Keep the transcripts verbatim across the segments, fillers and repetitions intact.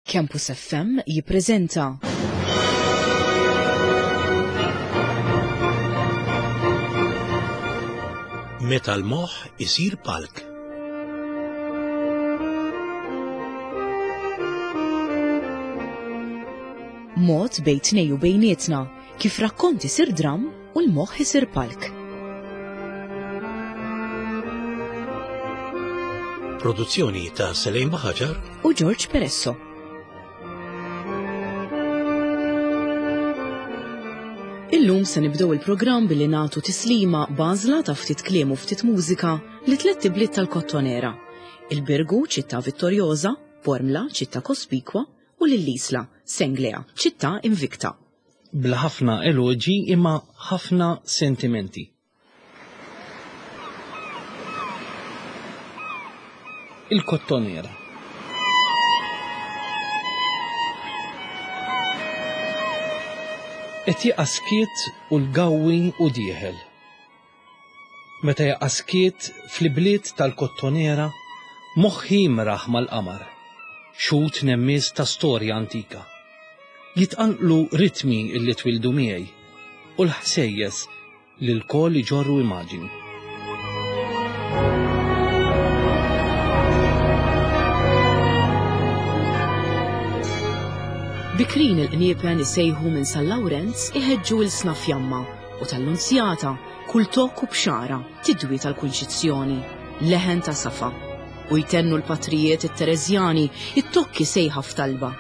Campus F M jippreżenta Meta l-moħħ isir palk. Mod bejn tnejn u bejnietna kif rakkont isir dram u l-moħħ isir palk. Produzzjoni ta' Selejn Baħaġar u George Peresso. Illum se nibdew il-programm billi nagħtu tislima b'għażla ta' ftit kliem u ftit mużika li tliet ibliet tal-Kottonera. Il-Birgu, ċittà vittorjosa, Bormla, ċittà kospikwa, u lill-Isla, Senglea, ċittà invicta. Bla ħafna eloġi imma ħafna sentimenti. Il-Kottonera. Qed jaqa' skiet u l-gawwi u dieħel. Meta jaqa' skiet fl-ibliet tal-Kottonera, moħħi jimraħ mal-qamar, xut nemmies ta' storja antika. Jitqanqlu ritmi illi twildu miegħi u l-ħsejjes li lkoll iġorru immaġini. Bikrin il-qniepen isejħu minn San Lawrenz iħeġġu il-sna fjamma u tal-Lunzjata kull tokk u bxara tidwi tal-Kunċizzjoni, leħen ta' safa. U jtennu l-patrijiet it-Tereżjani it-tokki sejħa f'talba.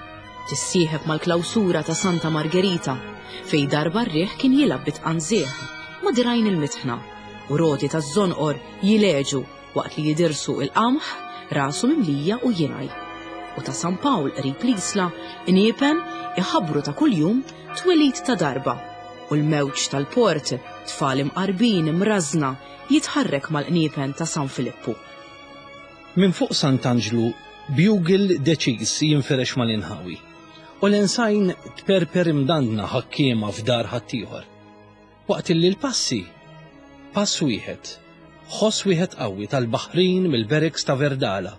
Tissieħeb mal-klawsura ta' Santa Margherita fej darba r-riħ kien jilgħab bitqanżieħ ma' dirajn il-mitħna u roti taż-żonqor jileġu waqt li jidirsu il-qamħ rasu mimlija u jingħaj. U ta' San Pawl qrib l-Isla qniepen iħabbru ta' kuljum twelid ta' darba u l-mewġ tal-port tfal imqarbin imrażna jitħarrek mal-qniepen ta' San Filippu. Minn fuq Sant'Anġlu bugel deċiż jinfirex mal-inħawi u l-ensajn tperper imdandna ħakkiema f'dar ħaddieħor. Waqt illi l-passi pass wieħed, ħoss wieħed qawwi tal-baħrin mill-barracks ta' Verdala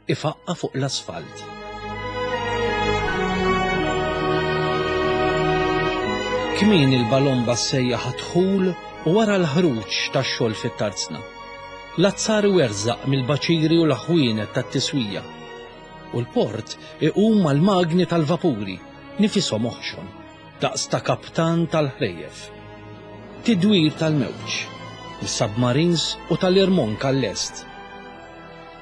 ifaqqa fuq l-asfalt. Kmin il-balomba ssejjaħ dħul u wara l-ħruġ tax-xogħol fit-tarzna. L-azzar werżaq mill-baċiri u l-ħwienet tat-tiswija. U l-port iqum mal-magni tal-vapuri, nifishom oħxon, daqs ta' kaptan tal-ħrejjef. Tidwir tal-mewġ, mis-submarines u tal-irmonk għall-est.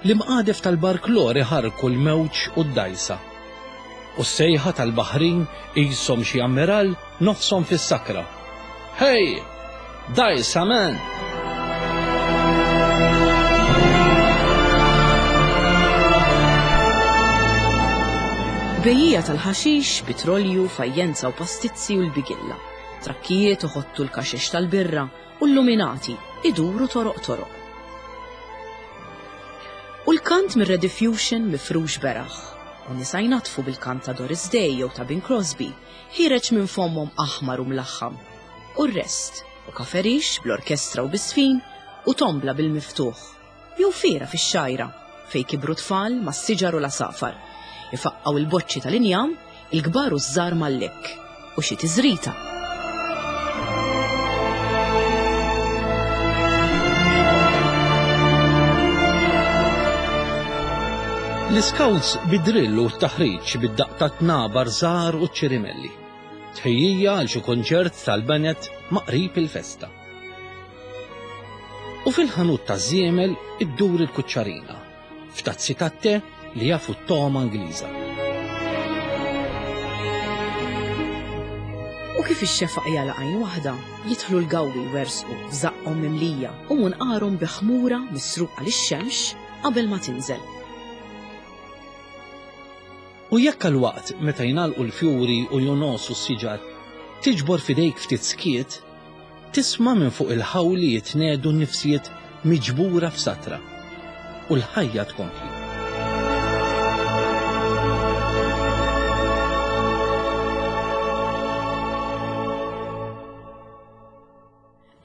L-imqadef tal-barklor iħarku l-mewġ u d-dajsa. U s-sejħa tal-baħrin qishom xi ammiral nofshom fis-sakra. Hey! Dajsa, man! Bejjija tal-ħaxix, petrolju, fajjenza u pastizzi u l-bigilla. Trakkijiet uħottu l-kaxex tal-birra u l-luminati iduru toroq toroq. U l-kant mir-Rediffusion mifrux beraħ. U nisa jnatfu bil-kant ta' Doris Day jew ta' Bing Crosby, ħireġ minn fommhom aħmar u mlaħħam. U r-rest, u kaferix bl-orkestra u bisfin, u tombla bil-miftuħ. Jew fiera fix-xajra, fej kibru tfal mas-siġar u l-asafar. Ifaqqaw il-boċċi tal-injam, il-kbar u ż-żgħar mal-lekk, u xi tiżrita. L-iskawts bid-drill u t-taħriġ bid-daqq ta' tnabar żgħar u ċ-ċirimelli. Tħejjija għal xi konċert tal-banet ma' qrib il-festa. U fil-ħanut ta' żiemel iddur il-kuċċarina, f'tazzi tat-te li jafu t-togħma Ingliża. U kif ix-xefaq jagħlaq għajn waħda, jidħlu l-gawwi wersqu f'żaqqhom mimlija u munqarhom bi ħmura misruqa lix-xemx qabel ma tinżel. U jekk għal-waqt meta jingħalqu l-fjuri u jonosu s-siġar, tiġbor f'idejk ftit skiet, tisma' minn fuq il-ħawli jitnedu n-nifsijiet miġbura f'satra u l-ħajja tkompli.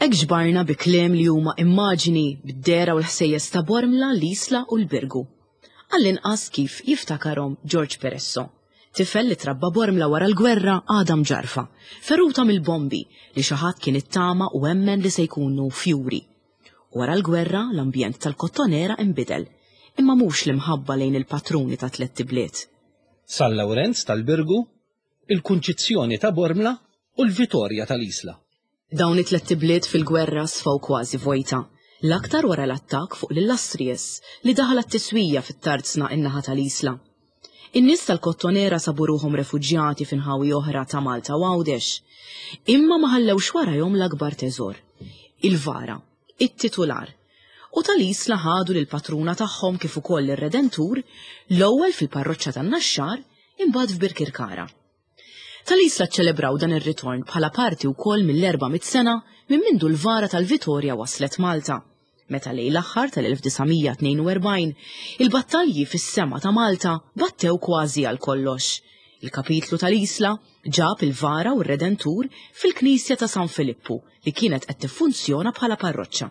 Hekk ġbarna bi kliem li huma immaġini bid-dehra u l-ħsejjes ta' Bormla, l-Isla u l-Birgu. Għall-inqas kif jiftakarhom George Peresso. Tifel li trabba Bormla wara l-gwerra għadha mġarfa, feruta mill-bombi li xi ħadd kien ittama u emmen li se jkunu fjuri. Wara l-gwerra l-ambjent tal-Kottonera inbidel, imma mhux l-imħabba lejn il-patruni ta' tlett ibliet. San Lawrenz tal-Birgu, il-Kunċizzjoni ta' Bormla u l-Vitorja tal-Isla. Dawn it-tlett ibliet fil-gwerra sfaw kważi vojta, l-aktar wara l-attakk fuq l-Illustrious li daħal għat-tiswija fit-tarzna in-naħa tal-Isla. In-nies tal-Kottonera sabu ruħhom refuġjati f'inħawi oħra ta' Malta u Għawdex. Imma ma ħallewx warahom l-akbar teżor, il-vara, it-titular. U tal-Isla ħadu lill-patruna tagħhom kif ukoll ir-Redentur l-ewwel fil-parroċċa tan-Naxxar imbagħad f'Birkirkara. Tal-Isla ċċelebraw dan ir-ritorn bħala parti wkoll mill-erba' mitt sena minn mindu l-vara tal-Vitorja waslet Malta. Meta lejn l-aħħar tal-elf disa' mija tnejn u erbgħin, il-battalji fis-sema ta' Malta battew kważi għal kollox. Il-kapitlu tal-Isla ġab il-vara u r-Redentur fil-Knisja ta' San Filippu li kienet qed tiffunzjona bħala parroċċa.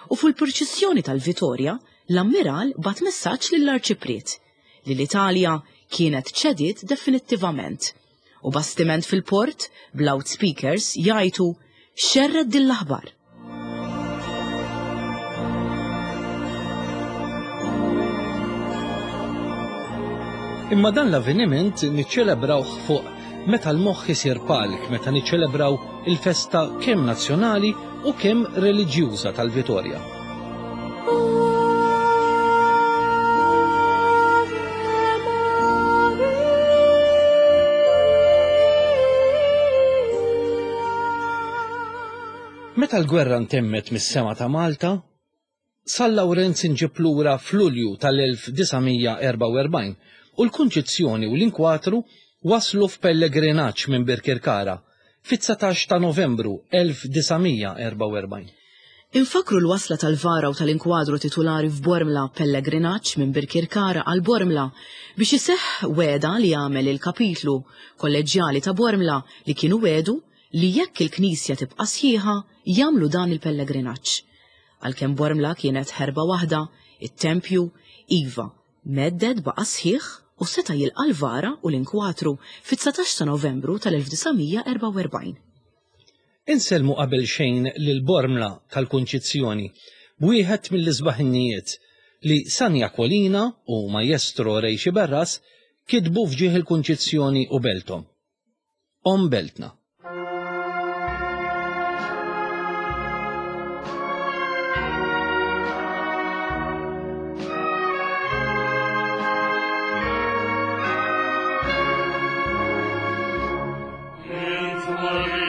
U fil-purċissjoni tal-Vitorja, l-ammiral bat messaġġ lill-Arċipriet li l-Italja kienet ċediet definittivament. U bastiment fil-port b'loudspeakers jgħidu xerred din l-aħbar. Imma dan l-avveniment niċċelebrawh fuq meta l-moħħ isir palk, meta niċċelebraw il-festa kemm nazzjonali u kemm reliġjuża tal-Vitorja. Meta l-gwerra ntemmet mis-sema ta' Malta, San Lawrenz inġib lura f'Lulju tal-elf disa' mija erbgħa u erbgħin u l-Kunċizzjoni u l-Inkwatru waslu f'pellegrinaġġ minn Birkirkara fit-dsatax ta' Novembru elf disa' mija erbgħa u erbgħin. Infakru l-wasla tal-vara u tal-inkwadru titulari f'Bormla pellegrinaġġ minn Birkirkara għal Bormla biex iseħħ wegħda li għamel il-kapitlu kolleġjali ta' Bormla li kienu wedu li jekk il-Knisja tibqa' sħiħa jagħmlu dan il-pellegrinaġġ. Għalkemm Bormla kienet ħerba waħda, it-tempju, iva, medded baqa' sħiħ u seta' jilqa' l-vara u l-inkwatru fit-dsatax ta' Novembru tal-elf disa' mija erbgħa u erbgħin. Insellmu qabel xejn lil Bormla tal-Kunċizzjoni b'wieħed mill-isbaħ innijiet li San Jakolina u Maestro Ray Sciberras kitbu f'ġieħ il-Kunċizzjoni u belthom. Om beltna. Amen.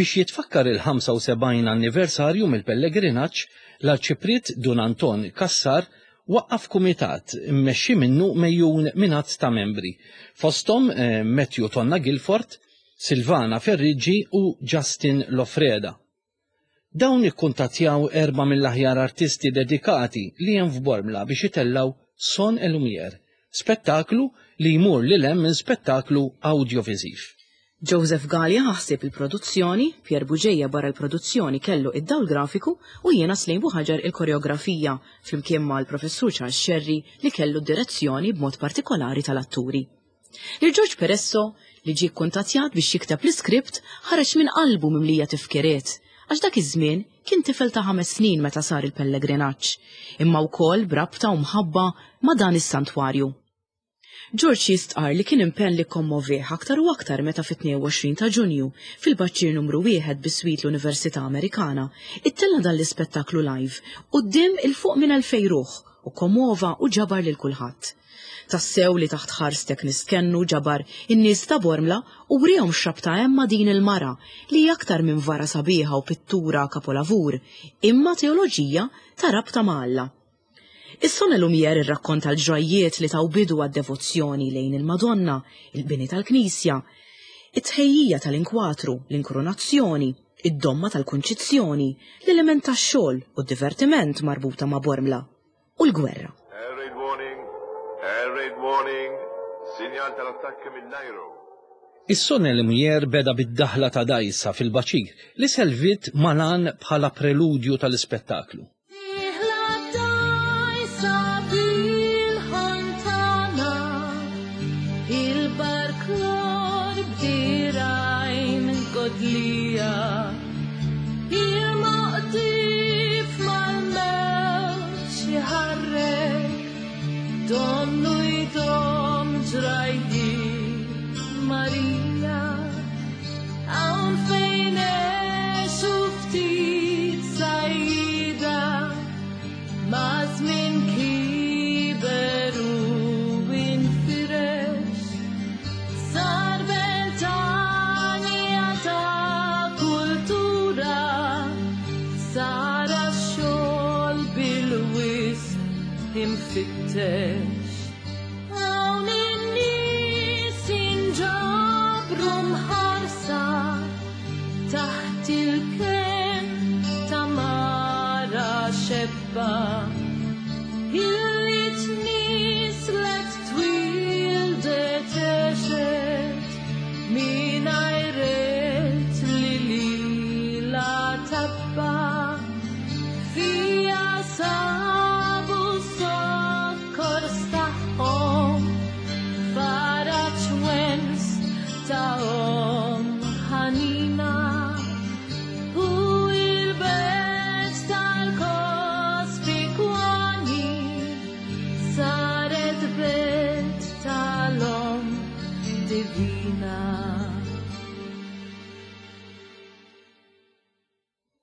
Biex jitfakkar il-ħamsa u sebgħin anniversarju mill-pellegrinaġġ, l-Arċipriet Dun Anton Kassar waqqaf kumitat immexxi minnu mejjun minn għadd ta' membri, fosthom eh, Matthew Tonna Guilford, Silvana Ferriggi u Justin Lofreda. Dawn ikkuntattjaw erba' mill-aħjar artisti dedikati li hemm f'Bormla biex itellaw Son et Lumière, spettaklu li jmur lil hemm minn spettaklu audiovisiv. Joseph Galea ħassib il-produzzjoni, Pier Bugeja barra l-produzzjoni kellu id-dawl grafiku u jiena Slejn Buħaġar il-koreografija flimkien mal-professur Charles Scerri li kellu d-direzzjoni b'mod partikolari tal-atturi. Lil George Peresso li ġie kkuntattjat biex jikteb l-iskript ħareġ minn qalbu mimlija tifkiriet, għax dak iż-żmien kien tifel ta' ħames snin meta sar il-pellegrinaġġ, imma wkoll b'rabta u mħabba ma' dan is-santwarju. George jistqar li kien impenn li kommovih aktar u aktar meta fit-tnejn u għoxrin ta' Ġunju fil-baċċir numru wieħed biswit l-Università Amerikana ittella dan l-ispettaklu live quddiem il fuq minn elfej ruħ u komova u ġabar lil kulħadd. Tassew li taħt ħarstek nistkennu ġabar in-nies ta' Bormla u wrihom x'rabta hemm ma' din il-mara li hija aktar minn vara sabiħa u pittura kapolavur, imma teoloġija ta' rabta ma' Alla. Is-Son et Lumière irrakkonta l-ġrajjiet li taw bidu għad-devozzjoni lejn il-Madonna, il-bini tal-Knisja, it-tħejjija tal-inkwatru, l-inkronazzjoni, id-domma tal-kunċizzjoni, l-element tax-xogħol u d-divertiment marbuta ma' Bormla u l-gwerra. Air raid warning, air raid warning, sinjal tal-attakki mill-ajru. Is-Son et Lumière beda bid-daħla ta' dajsa fil-baċir li serviet malan bħala preludju tal-ispettaklu. Hawn in-nies inġabru mħarsa taħt il-ken ta' mara xebba illi tnislet twildet għexet mingħajr li lilha tabba fija sabu sokkors tagħhom faraġ wens ta' omm ħanina u l-belt tal-Kospikwani saret belt tal-omm divina.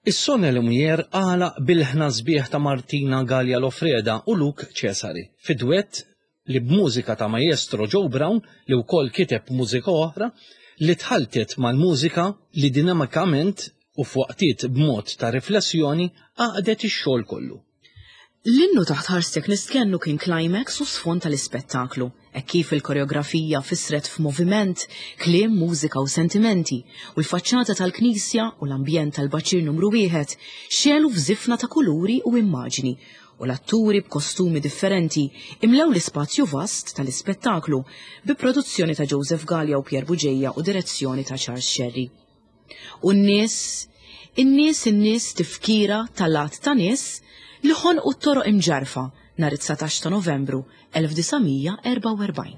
Is-Son et Lumière għalaq bil-ħna sbieħ ta' Martina Galea Lofreda u Luke Cesari fi duett li b'mużika ta' maestro Joe Brown li wkoll kiteb mużika oħra li tħaltet mal-mużika li dinamikament u f'waqtiet b'mod ta' riflessjoni għaqdet ix-xogħol kollu. L-innu taħt ħarstek nistkennu kien climax u sfond tal-ispettaklu, hekk kif il-koreografija fisret f'moviment, kliem, mużika u sentimenti, u l-faċċata tal-knisja u l-ambjent tal-baċir numru wieħed xelu f'żifna ta' kuluri u immaġni, u l-atturi b'kostumi differenti imlew l-ispazju vast tal-ispettaklu bi produzzjoni ta' Joseph Galea u Pier Bugeja u direzzjoni ta' Charles Scerri. U n-nies, in-nies, in-nies tifkira tal-att ta' nies li ħonqu t-toroq imġarfa nhar it-dsatax ta' Novembru elf disa' mija erbgħa u erbgħin.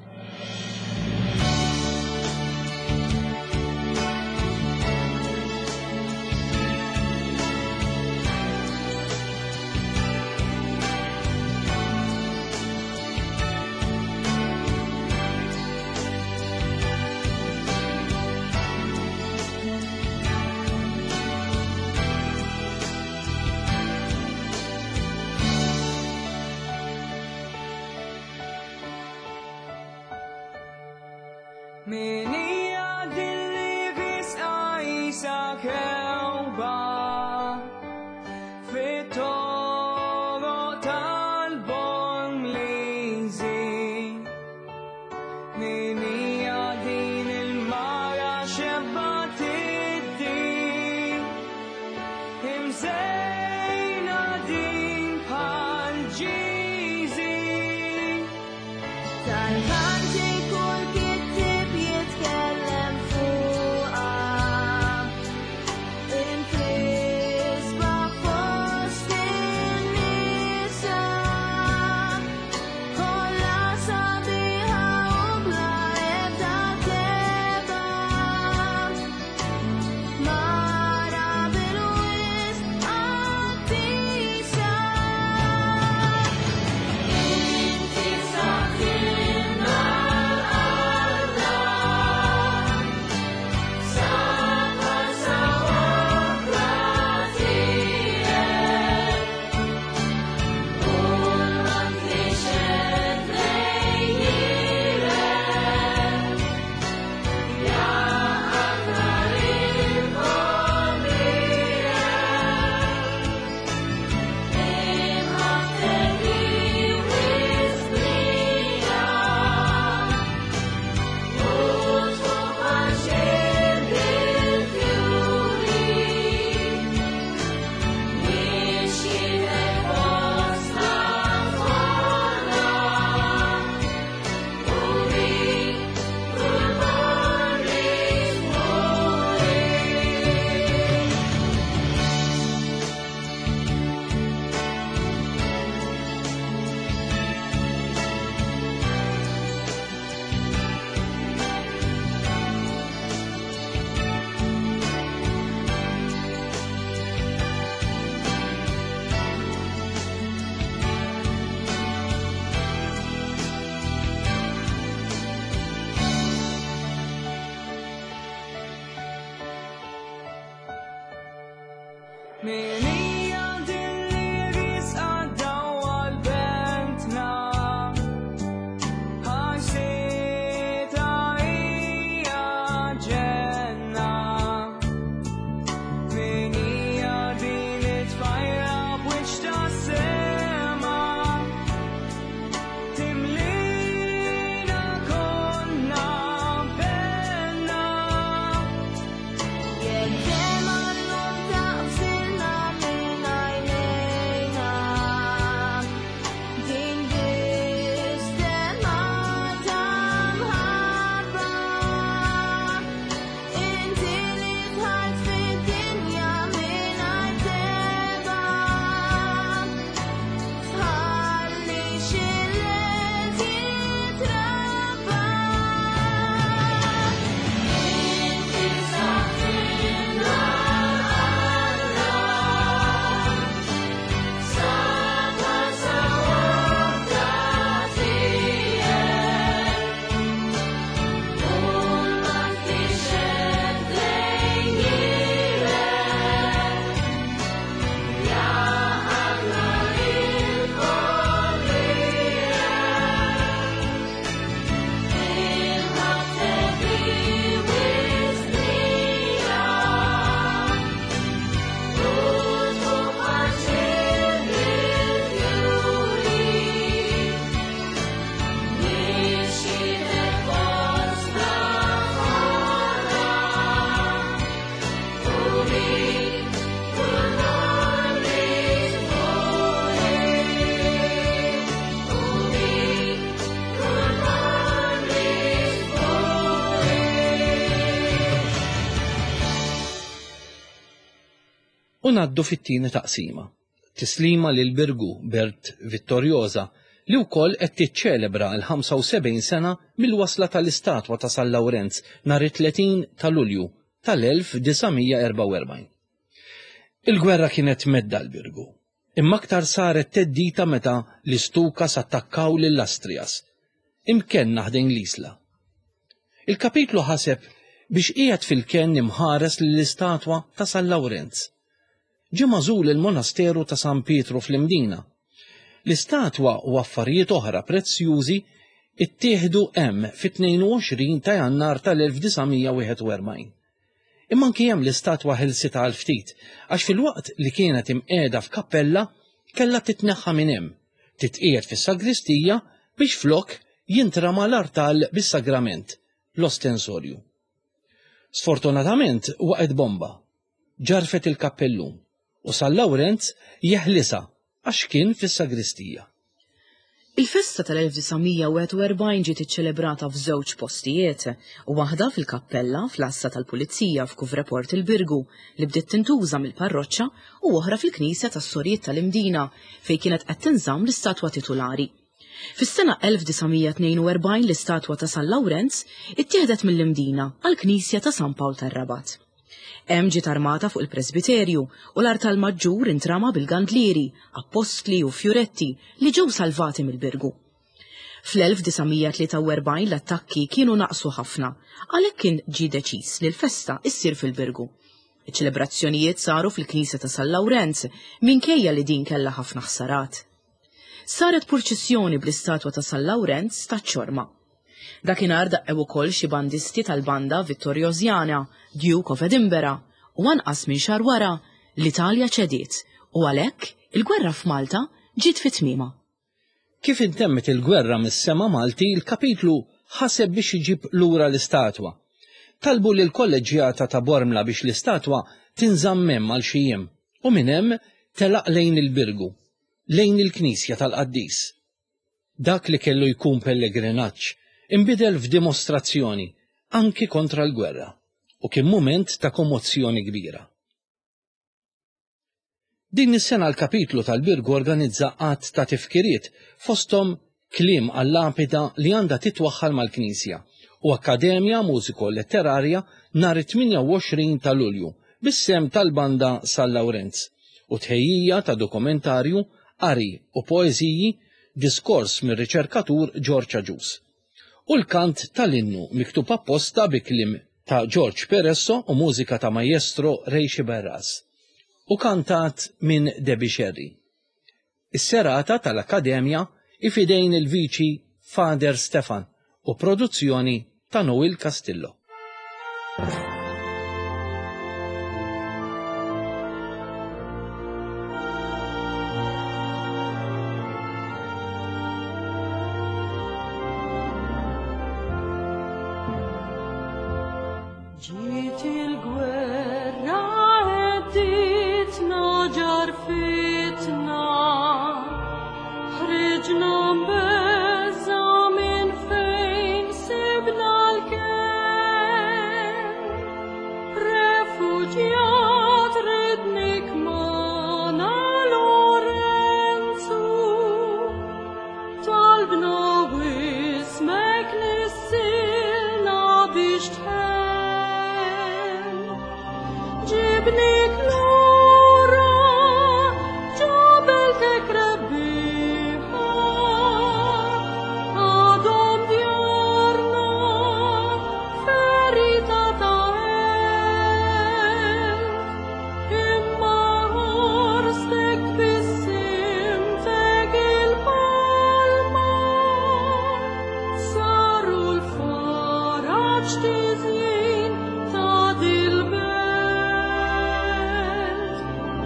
Min hija dilli fisqajsa Għal-kanti kull kittib jitkellem fuqa Intrisba fost in-nisa Kolla sabiħa u bla ebda teba Mara bil-wisq qaddisa Inti saħħilna Alla Safa sawra tiegħek U l-ma lejn irek Jaqadna il-komrek Imħabbtek iwisnija U tfuħaxin bil-fjuri Mixjilek fostna kollha U bik kull muri. Min hija din li risqa dawwa l-bentna Ħarsita hija ġenna Min hija din it-tfajla b'wiċċ ta' sema Timlina konna penna Jekk dema llum taqbsilna minn għajnejna Din biss dema ta' mħabba Inti li dħalt fid-dinja mingħajr teba Tħalli xi-lejl jitrabba Inti saħħilna Alla Safa sawra tiegħek U ma tixed lejn irek Jaqadna il-komrek Imħabbtek iwisnija U tfuħaxin bil-fjuri Mixjilek fostna kollha U bik kull morri U bik kull morri U ngħaddu fit-tieni taqsima. Tislima lil Birgu Bert Vittoriosa li wkoll qed tiċċelebra l-ħamsa u sebgħin sena mill-wasla tal-istatwa ta' San Lawrenz nhar it-tletin ta' Lulju tal-elf disa' mija erbgħa u erbgħin. Il-gwerra kienet medda l-Birgu, imma aktar saret teddita meta l-Istukas attakkaw lill-Astrias, imkenna ħdejn l-Isla. Il-kapitlu ħaseb biex qiegħed fil-kenn imħares lill-istatwa ta' San Lawrenz. Ġie magħżul il-monasteru ta' San Pietru fl-Imdina. L-istatwa u affarijiet oħra prezzjużi ittieħdu hemm fit-tnejn u għoxrin ta' Jannar tal-elf disa' mija wieħed u erbgħin. Imma anki hemm l-istatwa ħelsitha għal ftit, għax fil-waqt li kienet imqiegħda f'kappella kellha titneħħa minn hemm, titqiegħed fis-sagristija biex flok jintrama l-artal bis-sagrament, l-ostensorju. Sfortunatament waqgħet bomba, ġarfet il-kappellun u San Lawrenz jeħlisa għax kien fis-sagristija. Il-festa tal-elf disa' mija u wieħed u erbgħin ġiet iċċelebrata f'żewġ postijiet, waħda fil-kappella fl-għassa tal-Pulizija f'Kuvreport il-Birgu li bdiet tintuża mill-parroċċa u oħra fil-Knisja tas-Sorijiet tal-Imdina fejn kienet qed tinżamm l-istatwa titulari. Fis-sena elf disa' mija tnejn u erbgħin l-istatwa ta' San Lawrenz ittieħdet mill-Imdina għall-Knisja ta' San Pawl tar-Rabat. Hemm ġiet armata fuq il-presbiterju u l-artal maġġur intrama bil-gandlieri, appostli u fjuretti li ġew salvati mill-Birgu. Fl-elf disa' mija tlieta u erbgħin l-attakki kienu naqsu ħafna, għalhekk kien ġie deċiż li l-festa issir fil-Birgu. Iċ-ċelebrazzjonijiet saru fil-Knisja ta' San Lawrenz minkejja li din kellha ħafna ħsarat. Saret purċissjoni bl-istatwa ta' San Lawrenz taċ-ċorma. Dakinhar daqqew ukoll xi bandisti tal-banda Vittoriosiana, Duke of Edinburgh, u anqas minn xahar wara l-Italja ċediet u għalhekk il-gwerra f'Malta ġiet fi tmiemha. Kif intemmet il-gwerra mis-sema Malti, il-kapitlu ħaseb biex iġib lura l-istatwa. Talbu lil kolleġġjata ta' Bormla biex l-istatwa tinżamm hemm għal xi jiem u minn hemm telaq lejn il-Birgu, lejn il-Knisja tal-Qaddis. Dak li kellu jkun pellegrinaġġ inbidel f'dimostrazzjoni anki kontra l-gwerra u kien mument ta' kommozzjoni kbira. Din is-sena l-kapitlu tal-Birgu organizza għadd ta' tifkiriet fosthom kliem għall-lapida li għandha titwaħħal mal-Knisja u Akkademja Mużiko-Letterarja nhar it-tmienja u għoxrin ta' Lulju bis-sem tal-Banda San Lawrenz u tħejjija ta' dokumentarju, qari u poeżiji, diskors mir-riċerkatur George Agius. U l-kant tal-innu miktub apposta bi kliem ta' George Peresso u mużika ta' Maestro Ray Sciberras u kantat minn Debbie Scerri. Is-serata tal-Akkademja ifidejn il-viċi Father Stefan u produzzjoni ta' Noel Castillo. Ġiet il-gwerra għedditna ġarfitna, ħriġna mbeża minn fejn sibna l-kenn. Refuġjat ridnik magħna Lorenzu, talbna wismek nissilna biex tħenn. Ġibnik lura ġabeltek rebbieħa, għadhom djarna ferita ta' għelt. Imma ħarstek tbissimtek il-palma, saru l-faraġ tiżjin ta' dil-belt.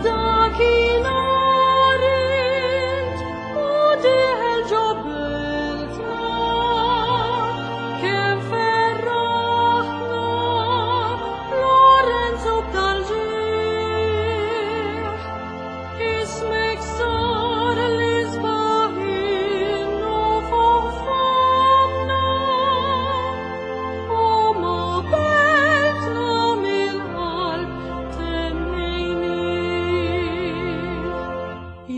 Dakinhar int u dieħel ġo beltna, kemm ferraħna Lorenzo b'dal-ġieħ. Ismek sar l-isbaħ innu fuq fomna, u ma beltna mill-qalb tennejnieh.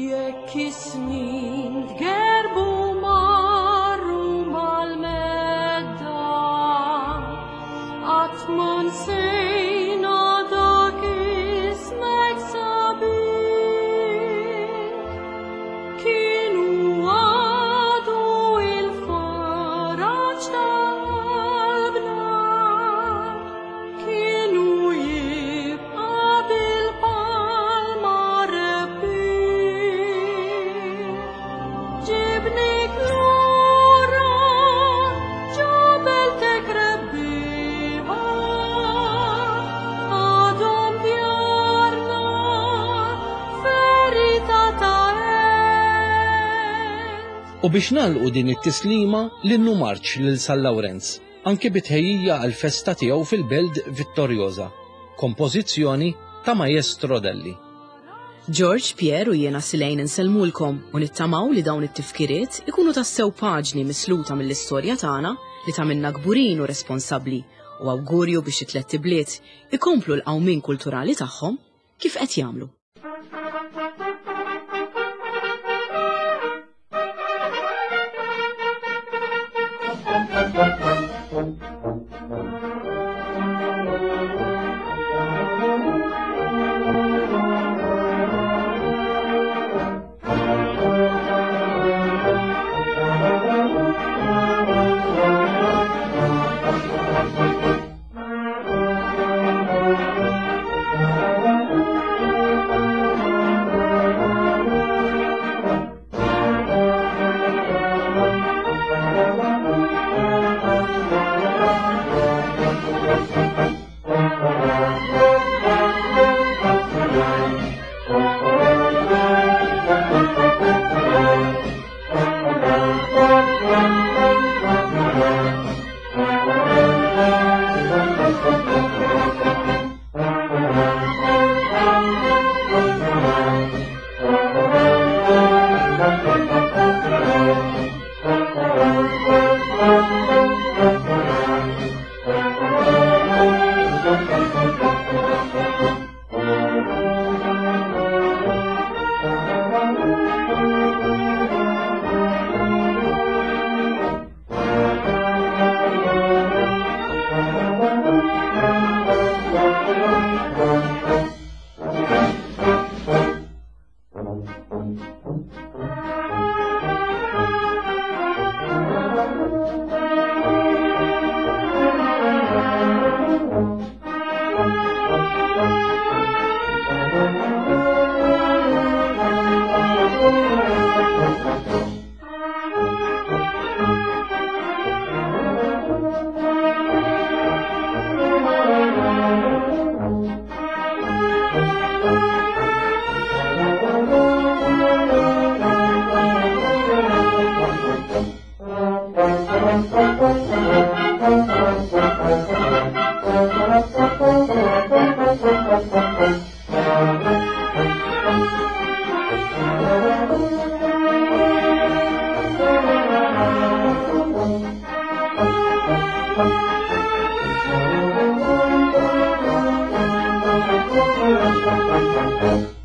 Jekk is-snin tgerbu marru mal-medda, qatt ma nsejna dak ismek sabiħ. Kienu għadu il-faraġ ta' qalbna, kienu jibqa' bil-palma rebbieħ. Ġibnik lura ġabeltek rebbieħa, għadhom djarna ferita ta' għelt. U biex nagħlqu din it-tislima l-innu marċ lil San Lawrenz, anke bitħejjija għal-festa tiegħu fil-Belt Vittoriosa, kompożizzjoni ta' Maestro Delli. George, Pierre u jiena Silejn insellmulkom u nittamaw li dawn it-tifkiriet ikunu tassew paġni misluta mill-istorja tagħna li tagħmilna kburin u responsabbli u awgurju biex it-tlett ibliet ikomplu l-qawmien kulturali tagħhom kif qed jagħmlu. Thank you.